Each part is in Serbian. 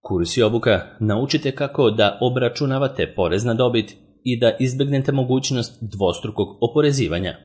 Kurs i obuka naučite kako da obračunavate porez na dobit i da izbegnete mogućnost dvostrukog oporezivanja.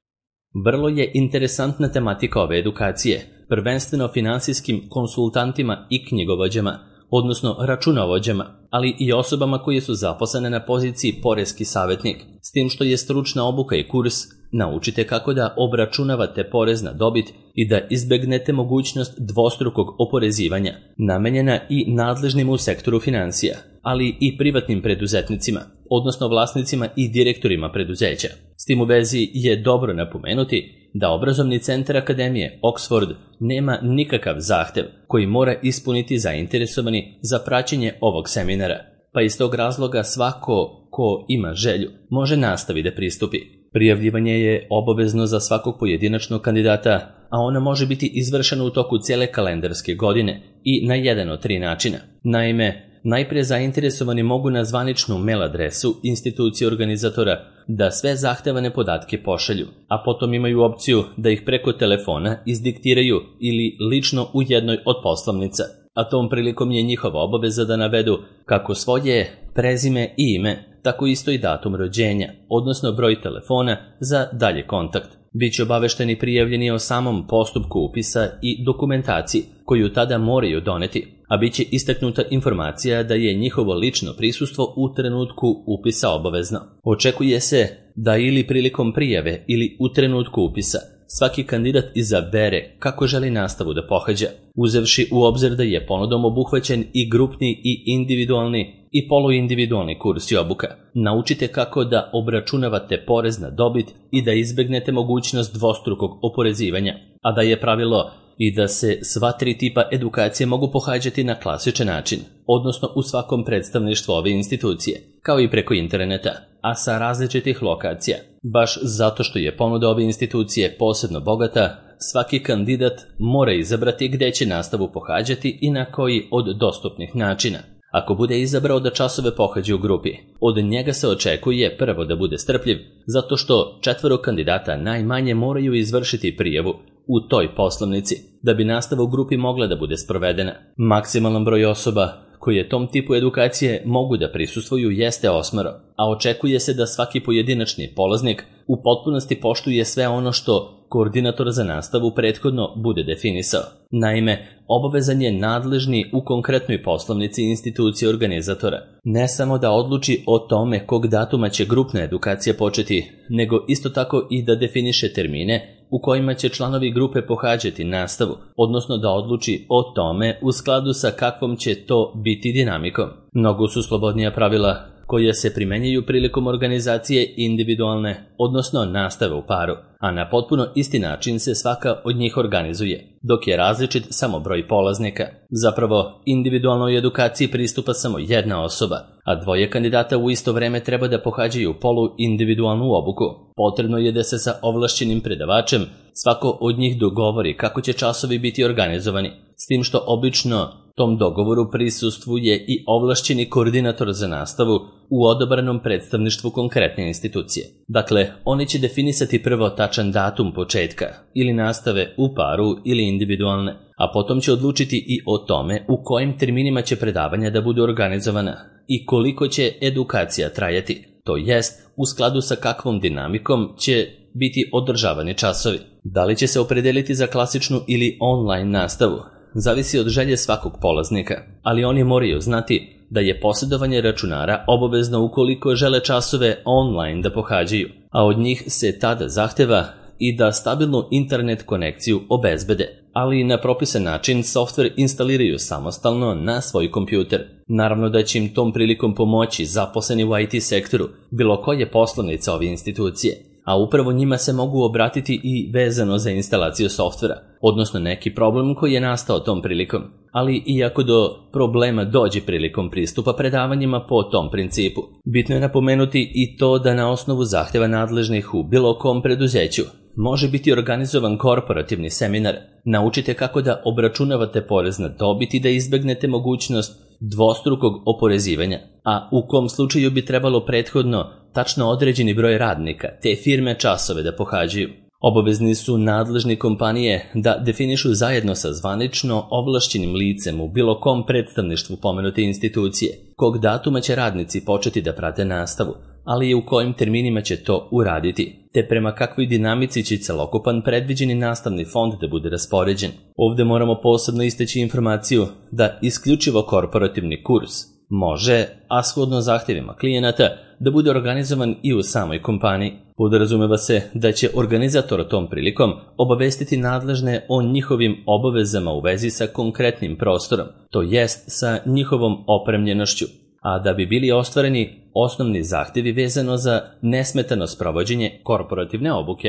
Vrlo je interesantna tematika ove edukacije, prvenstveno finansijskim konsultantima i knjigovođama, odnosno računovođama, ali i osobama koje su zaposlene na poziciji poreski savjetnik, s tim što je stručna obuka i kurs naučite kako da obračunavate porez na dobit i da izbegnete mogućnost dvostrukog oporezivanja, namenjena i nadležnim u sektoru financija, ali i privatnim preduzetnicima, odnosno vlasnicima i direktorima preduzeća. S tim u vezi je dobro napomenuti da obrazovni centar Akademije Oxford nema nikakav zahtev koji mora ispuniti zainteresovani za praćenje ovog seminara, pa iz tog razloga svako ko ima želju može nastaviti da pristupi. Prijavljivanje je obavezno za svakog pojedinačnog kandidata, a ono može biti izvršeno u toku cijele kalendarske godine i na jedan od 3 načina. Naime, najprije zainteresovani mogu na zvaničnu mail adresu institucije organizatora da sve zahtevane podatke pošalju, a potom imaju opciju da ih preko telefona izdiktiraju ili lično u jednoj od poslovnica, a tom prilikom je njihova obaveza da navedu kako svoje prezime i ime, tako isto i datum rođenja, odnosno broj telefona za dalje kontakt. Biće obavešteni prijavljeni o samom postupku upisa i dokumentaciji koju tada moraju doneti, a bit će istaknuta informacija da je njihovo lično prisustvo u trenutku upisa obavezno. Očekuje se da ili prilikom prijave ili u trenutku upisa svaki kandidat izabere kako želi nastavu da pohađa, uzevši u obzir da je ponudom obuhvaćen i grupni i individualni i poluindividualni kurs i obuka. Naučite kako da obračunavate porez na dobit i da izbegnete mogućnost dvostrukog oporezivanja, a da je pravilo i da se sva 3 tipa edukacije mogu pohađati na klasičan način, odnosno u svakom predstavništvu ove institucije, kao i preko interneta, a sa različitih lokacija. Baš zato što je ponuda ove institucije posebno bogata, svaki kandidat mora izabrati gde će nastavu pohađati i na koji od dostupnih načina. Ako bude izabrao da časove pohađa u grupi, od njega se očekuje prvo da bude strpljiv, zato što 4 kandidata najmanje moraju izvršiti prijavu u toj poslovnici da bi nastava u grupi mogla da bude sprovedena. Maksimalan broj osoba koje tom tipu edukacije mogu da prisustvuju jeste 8, a očekuje se da svaki pojedinačni polaznik u potpunosti poštuje sve ono što koordinator za nastavu prethodno bude definisao. Naime, obavezan je nadležni u konkretnoj poslovnici institucije organizatora ne samo da odluči o tome kog datuma će grupna edukacija početi, nego isto tako i da definiše termine u kojima će članovi grupe pohađati nastavu, odnosno da odluči o tome u skladu sa kakvom će to biti dinamikom. Mnogo su slobodnija pravila koja se primenjuju prilikom organizacije individualne, odnosno nastave u paru, a na potpuno isti način se svaka od njih organizuje, dok je različit samo broj polaznika. Zapravo, individualnoj edukaciji pristupa samo jedna osoba, a 2 kandidata u isto vreme treba da pohađaju polu-individualnu obuku. Potrebno je da se sa ovlašćenim predavačem svako od njih dogovori kako će časovi biti organizovani, s tim što obično tom dogovoru prisustvuje i ovlašćeni koordinator za nastavu u odabranom predstavništvu konkretne institucije. Dakle, oni će definisati prvo tačan datum početka ili nastave u paru ili individualne, a potom će odlučiti i o tome u kojim terminima će predavanja da budu organizovana i koliko će edukacija trajati, to jest u skladu sa kakvom dinamikom će biti održavani časovi. Da li će se opredeliti za klasičnu ili online nastavu? Zavisi od želje svakog polaznika, ali oni moraju znati da je posjedovanje računara obavezno ukoliko žele časove online da pohađaju, a od njih se tada zahteva i da stabilnu internet konekciju obezbede, ali i na propisan način softver instaliraju samostalno na svoj kompjuter. Naravno da će im tom prilikom pomoći zaposleni u IT sektoru, bilo koje poslovnice ove institucije, a upravo njima se mogu obratiti i vezano za instalaciju softvera, odnosno neki problem koji je nastao tom prilikom. Ali i ako do problema dođe prilikom pristupa predavanjima po tom principu, bitno je napomenuti i to da na osnovu zahtjeva nadležnih u bilo kom preduzeću može biti organizovan korporativni seminar. Naučite kako da obračunavate porez na dobit i da izbegnete mogućnost dvostrukog oporezivanja, a u kom slučaju bi trebalo prethodno tačno određeni broj radnika te firme časove da pohađaju. Obavezni su nadležni kompanije da definišu zajedno sa zvanično ovlašćenim licem u bilo kom predstavništvu pomenute institucije, kog datuma će radnici početi da prate nastavu, ali i u kojim terminima će to uraditi, te prema kakvoj dinamici će celokupan predviđeni nastavni fond da bude raspoređen. Ovde moramo posebno istaći informaciju da isključivo korporativni kurs može, a shodno zahtjevima klijenata, da bude organizovan i u samoj kompaniji. Podrazumeva se da će organizator tom prilikom obavestiti nadležne o njihovim obavezama u vezi sa konkretnim prostorom, to jest sa njihovom opremljenošću, a da bi bili ostvareni osnovni zahtjevi vezano za nesmetano sprovođenje korporativne obuke.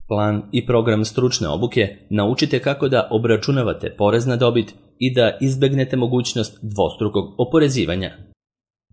Plan i program stručne obuke naučite kako da obračunavate porez na dobit i da izbegnete mogućnost dvostrukog oporezivanja.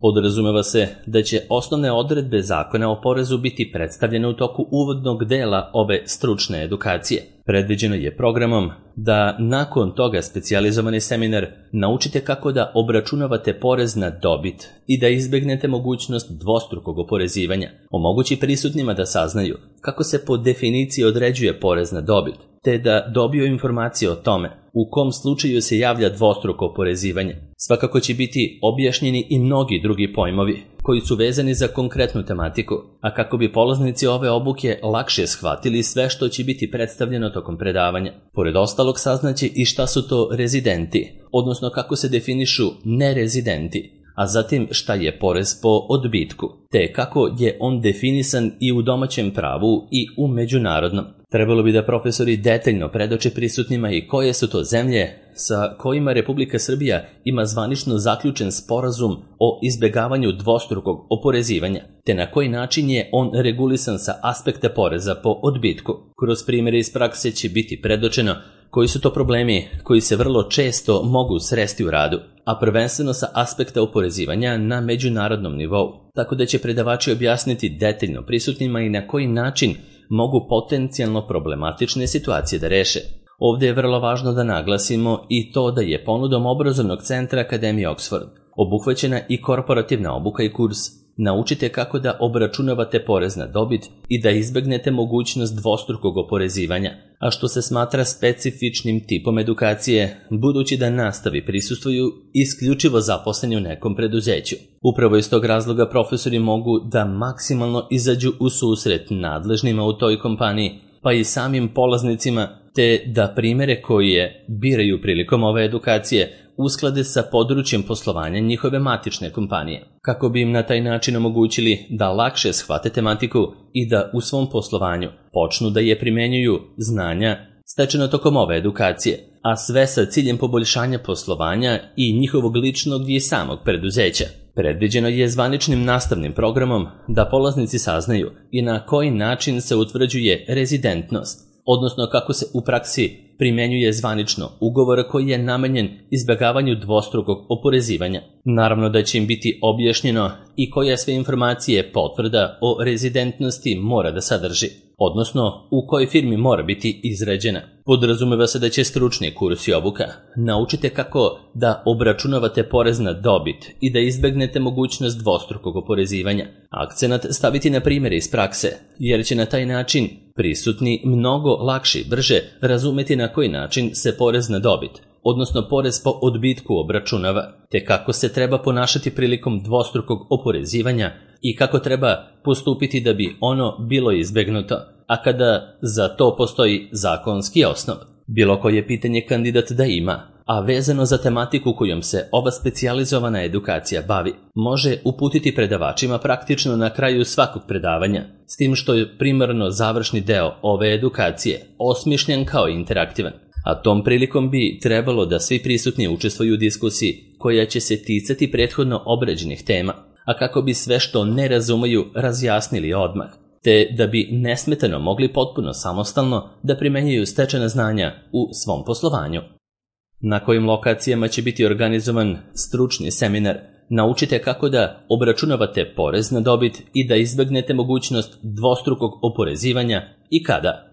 Podrazumeva se da će osnovne odredbe zakona o porezu biti predstavljene u toku uvodnog dela ove stručne edukacije. Predviđeno je programom da nakon toga specijalizovani seminar naučite kako da obračunavate porez na dobit i da izbegnete mogućnost dvostrukog oporezivanja. Omogući prisutnima da saznaju kako se po definiciji određuje porez na dobit, te da dobiju informacije o tome u kom slučaju se javlja dvostruko oporezivanje. Svakako će biti objašnjeni i mnogi drugi pojmovi koji su vezani za konkretnu tematiku, a kako bi polaznici ove obuke lakše shvatili sve što će biti predstavljeno tokom predavanja. Pored ostalog saznaće i šta su to rezidenti, odnosno kako se definišu nerezidenti, a zatim šta je porez po odbitku, te kako je on definisan i u domaćem pravu i u međunarodnom. Trebalo bi da profesori detaljno predoče prisutnima i koje su to zemlje sa kojima Republika Srbija ima zvanično zaključen sporazum o izbegavanju dvostrukog oporezivanja, te na koji način je on regulisan sa aspekta poreza po odbitku. Kroz primjere iz prakse će biti predočeno koji su to problemi koji se vrlo često mogu sresti u radu, a prvenstveno sa aspekta oporezivanja na međunarodnom nivou, tako da će predavači objasniti detaljno prisutnima i na koji način mogu potencijalno problematične situacije da reše. Ovdje je vrlo važno da naglasimo i to da je ponudom obrazovnog centra Akademije Oxford obuhvaćena i korporativna obuka i kurs Naučite kako da obračunavate porez na dobit i da izbegnete mogućnost dvostrukog oporezivanja, a što se smatra specifičnim tipom edukacije, budući da nastavi prisustvuju isključivo zaposleni u nekom preduzeću. Upravo iz tog razloga profesori mogu da maksimalno izađu u susret nadležnima u toj kompaniji, pa i samim polaznicima, te da primere koje biraju prilikom ove edukacije usklade sa područjem poslovanja njihove matične kompanije, kako bi im na taj način omogućili da lakše shvate tematiku i da u svom poslovanju počnu da je primenjuju znanja stečeno tokom ove edukacije, a sve sa ciljem poboljšanja poslovanja i njihovog ličnog i samog preduzeća. Predviđeno je zvaničnim nastavnim programom da polaznici saznaju i na koji način se utvrđuje rezidentnost, odnosno kako se u praksi primjenjuje zvanično ugovor koji je namenjen izbjegavanju dvostrukog oporezivanja. Naravno da će im biti objašnjeno i koje sve informacije potvrda o rezidentnosti mora da sadrži, odnosno u kojoj firmi mora biti izrađena. Podrazumeva se da će stručni kurs i obuka naučite kako da obračunavate porez na dobit i da izbegnete mogućnost dvostrukog oporezivanja. Akcenat staviti na primjere iz prakse, jer će na taj način prisutni mnogo lakše i brže razumeti na koji način se porez na dobit, odnosno porez po odbitku obračunava, te kako se treba ponašati prilikom dvostrukog oporezivanja i kako treba postupiti da bi ono bilo izbegnuto, a kada za to postoji zakonski osnov. Bilo koje pitanje kandidat da ima, a vezano za tematiku kojom se ova specijalizovana edukacija bavi, može uputiti predavačima praktično na kraju svakog predavanja, s tim što je primarno završni deo ove edukacije osmišljen kao interaktivan. A tom prilikom bi trebalo da svi prisutni učestvuju u diskusiji koja će se ticati prethodno obrađenih tema, a kako bi sve što ne razumeju razjasnili odmah, te da bi nesmetano mogli potpuno samostalno da primenjuju stečena znanja u svom poslovanju. Na kojim lokacijama će biti organizovan stručni seminar, naučite kako da obračunavate porez na dobit i da izbegnete mogućnost dvostrukog oporezivanja i kada.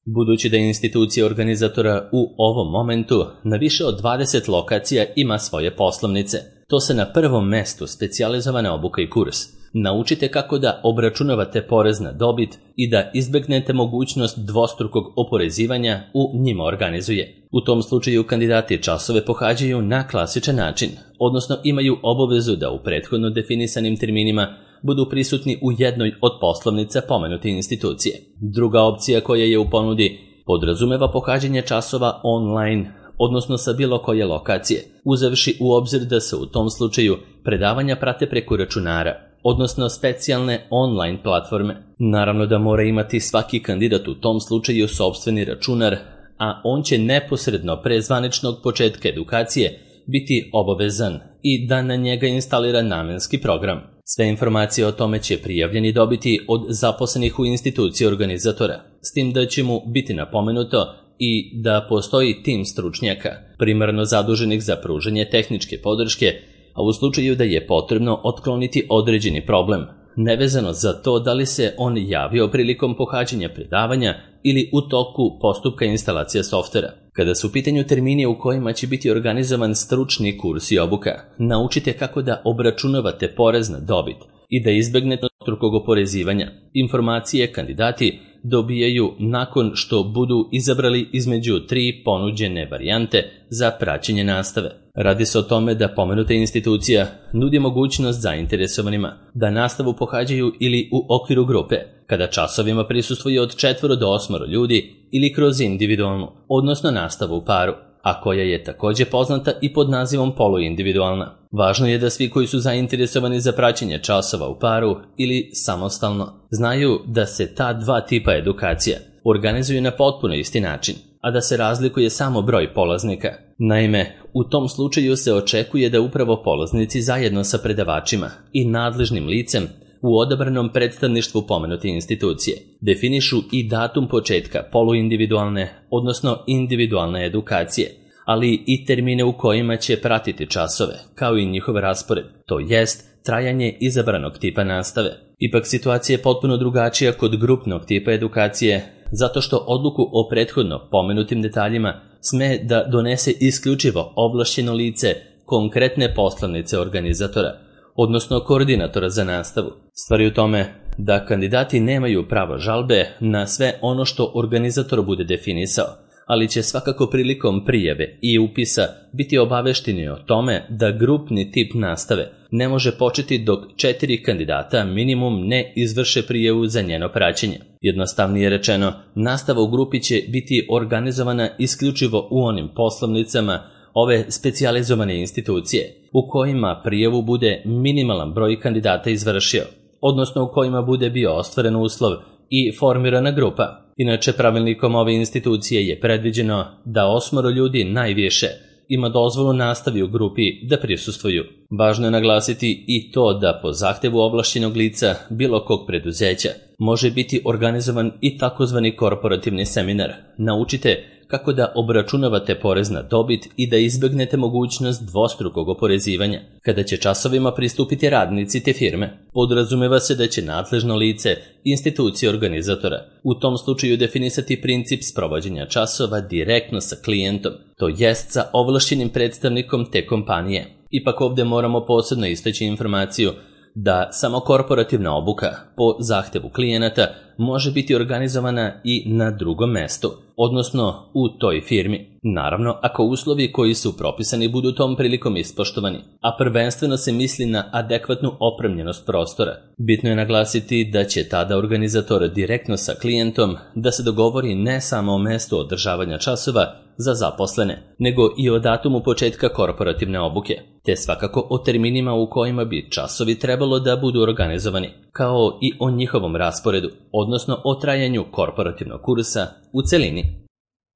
Budući da institucija organizatora u ovom momentu na više od 20 lokacija ima svoje poslovnice, to se na prvom mestu specijalizovana obuka i kurs Naučite kako da obračunavate porez na dobit i da izbegnete mogućnost dvostrukog oporezivanja u njima organizuje. U tom slučaju kandidati časove pohađaju na klasičan način, odnosno imaju obavezu da u prethodno definisanim terminima budu prisutni u jednoj od poslovnica pomenute institucije. Druga opcija koja je u ponudi podrazumeva pohađanje časova online, odnosno sa bilo koje lokacije, uzevši u obzir da se u tom slučaju predavanja prate preko računara, odnosno specijalne online platforme. Naravno da mora imati svaki kandidat u tom slučaju sopstveni računar, a on će neposredno pre zvaničnog početka edukacije biti obavezan i da na njega instalira namenski program. Sve informacije o tome će prijavljeni dobiti od zaposlenih u instituciji organizatora, s tim da će mu biti napomenuto i da postoji tim stručnjaka, primarno zaduženih za pružanje tehničke podrške, a u slučaju da je potrebno otkloniti određeni problem, nevezano za to da li se on javio prilikom pohađanja predavanja ili u toku postupka instalacije softvera. Kada su u pitanju termini u kojima će biti organizovan stručni kurs i obuka, naučite kako da obračunavate porez na dobit i da izbegnete dvostrukog oporezivanja. Informacije kandidati dobijaju nakon što budu izabrali između 3 ponuđene varijante za praćenje nastave. Radi se o tome da pomenuta institucija nudi mogućnost zainteresovanima da nastavu pohađaju ili u okviru grupe, kada časovima prisustvuje od 4 do 8 ljudi ili kroz individualnu, odnosno nastavu u paru, a koja je također poznata i pod nazivom poluindividualna. Važno je da svi koji su zainteresovani za praćenje časova u paru ili samostalno znaju da se ta dva tipa edukacija organizuju na potpuno isti način, a da se razlikuje samo broj polaznika. Naime, u tom slučaju se očekuje da upravo polaznici zajedno sa predavačima i nadležnim licem u odabranom predstavništvu pomenute institucije definišu i datum početka poluindividualne, odnosno individualne edukacije, ali i termine u kojima će pratiti časove, kao i njihov raspored, to jest trajanje izabranog tipa nastave. Ipak situacija je potpuno drugačija kod grupnog tipa edukacije, zato što odluku o prethodno pomenutim detaljima sme da donese isključivo ovlašćeno lice konkretne poslovnice organizatora, odnosno koordinatora za nastavu. Stvar je u tome da kandidati nemaju pravo žalbe na sve ono što organizator bude definisao, ali će svakako prilikom prijave i upisa biti obavešteni o tome da grupni tip nastave ne može početi dok 4 kandidata minimum ne izvrše prijavu za njeno praćenje. Jednostavnije rečeno, nastava u grupi će biti organizovana isključivo u onim poslovnicama ove specijalizovane institucije u kojima prijavu bude minimalan broj kandidata izvršio, odnosno u kojima bude bio ostvaren uslov i formirana grupa. Inače, pravilnikom ove institucije je predviđeno da 8 ljudi najviše ima dozvolu nastavi u grupi da prisustvuju. Važno je naglasiti i to da po zahtevu ovlašćenog lica bilo kog preduzeća može biti organizovan i takozvani korporativni seminar. Naučite kako da obračunavate porez na dobit i da izbegnete mogućnost dvostrukog oporezivanja. Kada će časovima pristupiti radnici te firme, podrazumeva se da će nadležno lice institucije organizatora u tom slučaju definisati princip sprovođenja časova direktno sa klijentom, to jest sa ovlašćenim predstavnikom te kompanije. Ipak ovdje moramo posebno istaći informaciju da samo korporativna obuka po zahtevu klijenata može biti organizovana i na drugom mestu, odnosno u toj firmi. Naravno, ako uslovi koji su propisani budu tom prilikom ispoštovani, a prvenstveno se misli na adekvatnu opremljenost prostora. Bitno je naglasiti da će tada organizator direktno sa klijentom da se dogovori ne samo o mestu održavanja časova za zaposlene, nego i o datumu početka korporativne obuke, te svakako o terminima u kojima bi časovi trebalo da budu organizovani, kao i o njihovom rasporedu, odnosno o trajanju korporativnog kursa u celini.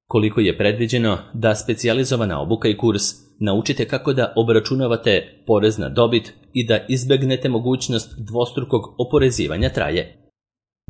Koliko je predviđeno da specijalizovana obuka i kurs naučite kako da obračunavate porez na dobit i da izbegnete mogućnost dvostrukog oporezivanja traje.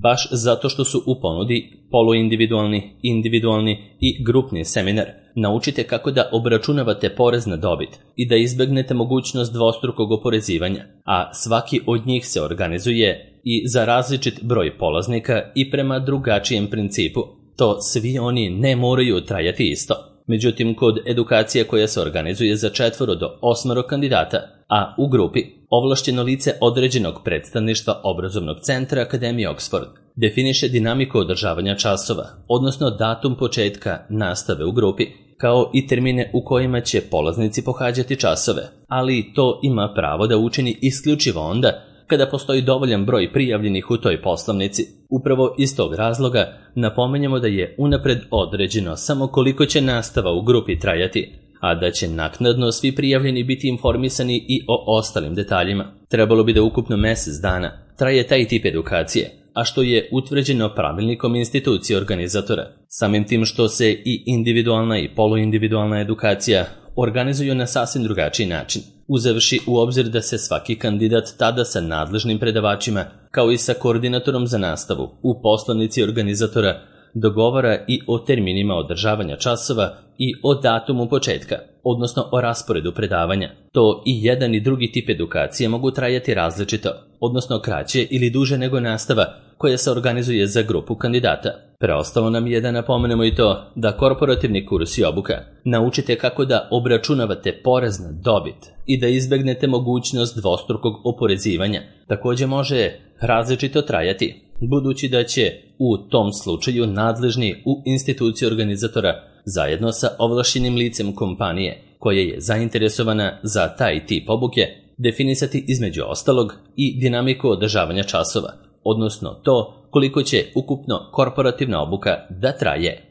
Baš zato što su u ponudi poluindividualni, individualni i grupni seminar, naučite kako da obračunavate porez na dobit i da izbegnete mogućnost dvostrukog oporezivanja, a svaki od njih se organizuje i za različit broj polaznika i prema drugačijem principu. To svi oni ne moraju trajati isto. Međutim, kod edukacije koja se organizuje za 4 do 8 kandidata, a u grupi ovlašćeno lice određenog predstavništva obrazovnog centra Akademije Oxford definiše dinamiku održavanja časova, odnosno datum početka nastave u grupi, kao i termine u kojima će polaznici pohađati časove, ali to ima pravo da učini isključivo onda kada postoji dovoljan broj prijavljenih u toj poslovnici. Upravo iz tog razloga napomenjemo da je unapred određeno samo koliko će nastava u grupi trajati, a da će naknadno svi prijavljeni biti informisani i o ostalim detaljima. Trebalo bi da ukupno mjesec dana traje taj tip edukacije, a što je utvrđeno pravilnikom institucije organizatora. Samim tim što se i individualna i poluindividualna edukacija organizuju na sasvim drugačiji način, uzevši u obzir da se svaki kandidat tada sa nadležnim predavačima, kao i sa koordinatorom za nastavu, u poslovnici organizatora dogovara i o terminima održavanja časova i o datumu početka, odnosno o rasporedu predavanja. To i jedan i drugi tip edukacije mogu trajati različito, odnosno kraće ili duže nego nastava koja se organizuje za grupu kandidata. Preostalo nam je da napomenemo i to da korporativni kurs i obuka naučite kako da obračunavate porez na dobit i da izbegnete mogućnost dvostrukog oporezivanja. Također može različito trajati, budući da će u tom slučaju nadležni u instituciji organizatora zajedno sa ovlašćenim licem kompanije koja je zainteresovana za taj tip obuke definisati između ostalog i dinamiku održavanja časova, odnosno to koliko će ukupno korporativna obuka da traje.